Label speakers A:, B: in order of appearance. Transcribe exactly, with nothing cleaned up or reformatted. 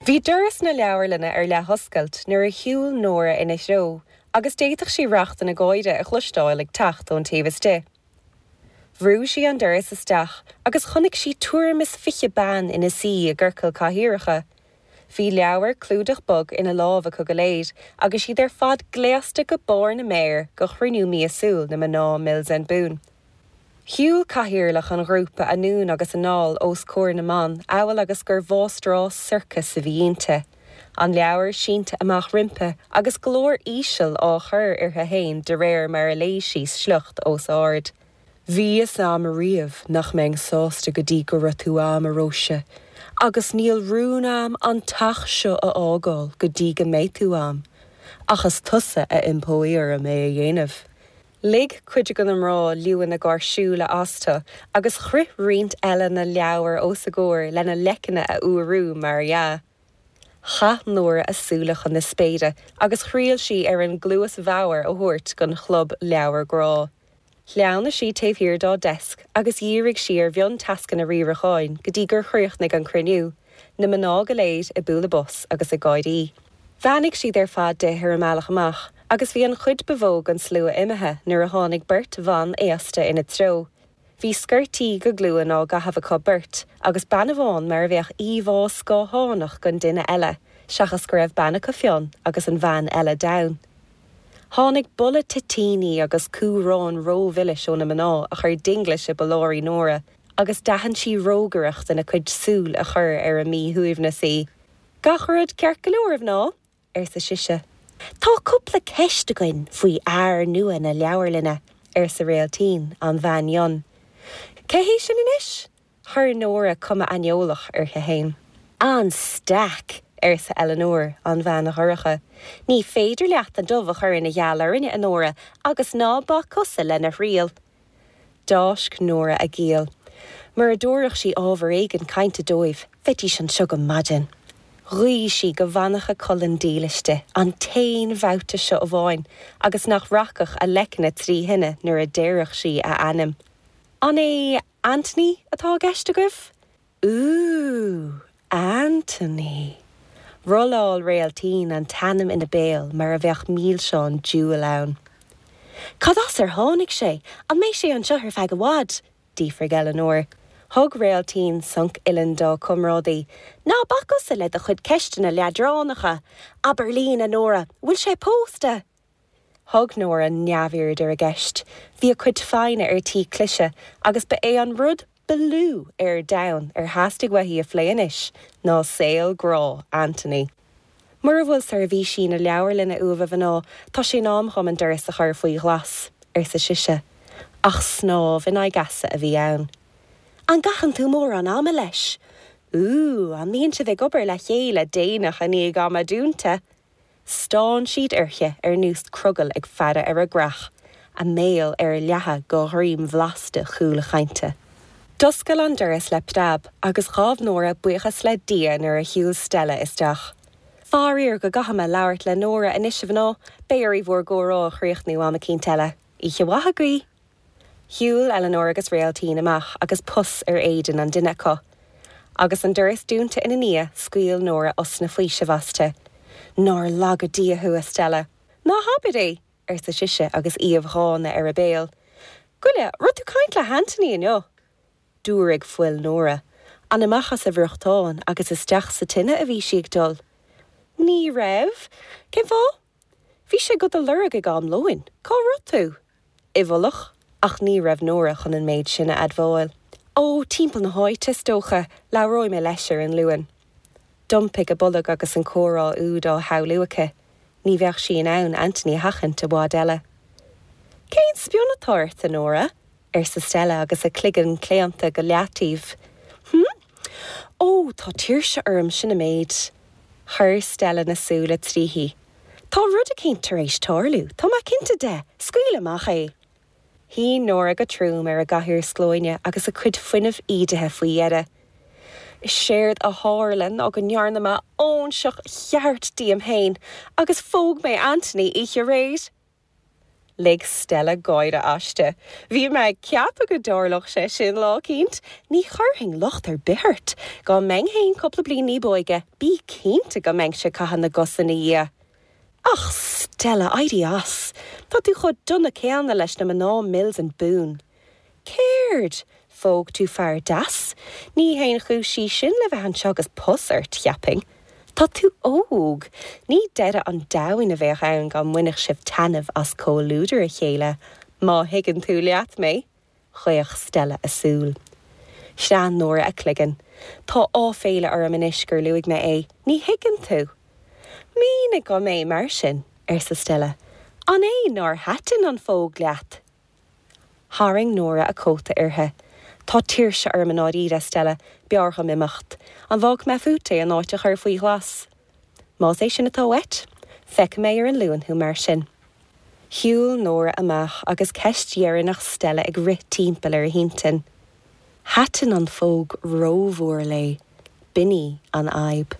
A: Bhí doras na leabharlainne ar leathoscailt nuair a shiúil Nóra ina threo, agus d'fhéadfadh sí racht na gáire a chloisteáil ag teacht ón taobh istigh. Bhrúigh sí an doras isteach agus chonaic sí tuairim is fiche bean ina suí i gciorcal cathaoireacha. Bhí leabhar clúdach bog ina lámha acu go léir agus iad ar fad gléasta go barr na méar do chruinniú míosúil na mná Mills and Boon. Shiúil cathaoirleach an ghrúpa anonn agus anall os comhair na mban amhail agus gur mháistreás sorcais a bhí inti. An leabhar sínte amach roimpi agus glór íseal á chur uirthi féin de réir mar a léigh sí sliocht os ard. Bhí a fhios a'm riamh nach mbeinn sásta go dtí go raibh tú a'm a Róise, agus níl rún a'm an teach seo a fhágáil go dtí go mbeidh tú a'm, ach is tusa a iompóidh orm é a dhéanamh. Lig cuid de na mná liúnna gáirsiúla astu agus chroith roinnt eile na leabhair os a gcomhair lena leiceanna a fhuarú mar dhea. Chaith Nóra a súile chun na spéire agus thriail sí ar an gcluas bhodhar a thabhairt don chlub leabhar grá. Shleamhnaigh sí taobh thiar dá deasc agus dhírigh sí ar mhiontascanna riaracháin go dtí gur chríochnaigh an cruinniú, na mná go léir ag bualadh bos agus ag gáirí. Bheannaigh siad ar fad di ar a mbealach amach, agus bhí an chuid ba mhó den slua imithe nuair a tháinig beirt bhan aosta ina treo. Bhí sciortaí go glúin á gcaitheamh acu beirt, agus bean amháin mar a bheadh íomhá scáthánach den duine eile, seachas go raibh bean acu fionn agus an bhean eile donn. Tháinig boladh toitíní agus cumhráin rómhilis ó na mná a chuir dinglis i bpolláirí Nóra, agus d'aithin sí rógaireacht ina cuid súl a chuir ar a míshuaimhneas í. Gach rud ceart go leor a mhná, arsa sise. Tá cúpla ceist againn faoi fhear nua na leabharlainne, arsa Réaltín an bhean fhionn. Cé hé sin anois? Chuir Nóra cuma aineolach uirthi féin. An staic, arsa Eleanor an bhean dhorcha. Ní féidir leat an dubh a chur ina gheal orainne a Nóra agus ná bac cosa lena thriail. D'fháisc Nóra a giall. Mura dtabharfadh sí ábhar éigin cainte dóibh, bheidís anseo go maidin. Ghuigh sí go bhfanfadh a colainn dílis di an t-aon bhabhta seo amháin agus nach rachadh a leiceanna trí thine nuair a déarfadh sí a ainm. An é Anthony atá i gceist agaibh? Ú, Anthony. Rolláil Réaltín an t-ainm ina béal mar a bheadh mílseán diabhail ann. Cad as ar tháinig sé, an mbeidh sé anseo ar feadh i bhfad, d'fhiafraigh Eleanor. Thug Réaltín sonc uillinn dá comrádaí, Ná bac usa le do chuid ceisteanna leadránacha, Abair linn a Nóra, bhfuil sé pósta. Thug Nóra neamhaird ar a gceist, bhí a cuid foighne ar tí cliseadh agus ba é an rud ba lú ar domhan ar theastaigh uaithi a phlé anois ná saol grá Anthony. Mura bhfuil seirbhísí na leabharlainne uaibh a mhná tá sé in am dom an doras a chur faoi ghlas, arsa sise, ach snámh in aghaidh easa a bhí ann. An gcaitheann tú mórán ama leis. Ú, an mbíonn sibh ag obair le chéile déanach i ndiaidh ama dúnta. Stán siad uirthi ar nós crogaill ag faire ar a gcreach, a mbéal ar leathadh go dhroim bhlasta chúl chainte. D'oscail an doras le preab agus ghabh Nóra buíochas le Dia nuair a shiúil Stella isteach. Faraor go gcaithfidh mé labhairt le Nóra anois a mhná, beidh oraibh bhur gcomhrá a chríochnú am eicínt eile. Oíche mhaith agaibh. Shiúil Eleanor agus Réaltín amach agus pus ar éadan an duine acu. Agus an doras dúnta ina ndiaidh scaoil Nóra osna faoisimh aisti. Nár laga Dia thú a Stella. Ná habair é, arsa sise agus aoibh dhána ar a béal. Goile, raibh tú ag caint le hAnthony inniu. Dúraigh fuil Nóra, an amach as a bhriochtán agus isteach sa tine a bhí sí ag dul. Ní raibh, Cén fáth? Bhí sé do do lorg ag am lóin, cá raibh tú? I bhfolach ach ní raibh Nóra chun an méid sin a admháil. Ó timpeall na háite is dócha labhróidh mé leis ar an Luan. D'iompaigh a bolg agus an comhrá úd á shamhlú aici, ní bheadh sí in ann Anthony a sheachaint i bhfad eile. Cén spion atá ort a Nóra? arsa Stella agus a cloigeann claonta go leataobh. Hm? Ó tá tuirse orm sin an méid. Chuir Stella na súile tríthi. Tá rud éicint tar éis tarlú, Tá mé cinnte de, scaoil amach é. Shuigh Nóra go trom ar a gcathaoir sclóine agus a cuid fuinnimh ídithe faoi dheireadh. Is éard a tharla ná go ndearna mé óinseach cheart díom féin agus phóg mé Anthony oíche aréir. Lig Stella gáire aisti. Bhí mé ag ceapadh go dtarlódh sé sin lá éicint, ní chuirfinn locht ar bith ort, Dá mbeinn féin cúpla bliain ní b'óige, bí cinnte go mbeinnse ag caitheamh na gcos ina dhiaidh. Ach Stella éirigh as, Tá tú chomh dona céanna leis na mná Mills and Boon. Céard, phóg tú fear deas, Ní haon chúis í sin le bheith anseo agus pus ort cheapfainn. Tá tú óg, ní deireadh an domhain a bheadh ann dá mbainfeadh sibh taitneamh as comhluadar a chéile, má thuigeann tú leat mé, Chaoch Stella a súil. Shleamhnaigh Nóra a cloigeann. Tá áiféala orm anois gur luaigh mé é, ní thuigeann tú. Mínigh dom é mar sin, arsa Stella. An é nár thaitin an phóg leat. Tharraing Nóra a cóta uirthi. Tá tuirse orm i ndáiríre Stella, b'fhearr dom imeacht, an bhfágfaidh mé fút é an áit a chur faoi ghlas. Más é sin atá uait, feicfidh mé ar an Luan thú mar sin. Shiúil Nóra amach agus ceist dheireanach Stella ag rith timpeall ar a hintinn. Thaitin an phóg rómhór léi, b'in í an fhadhb.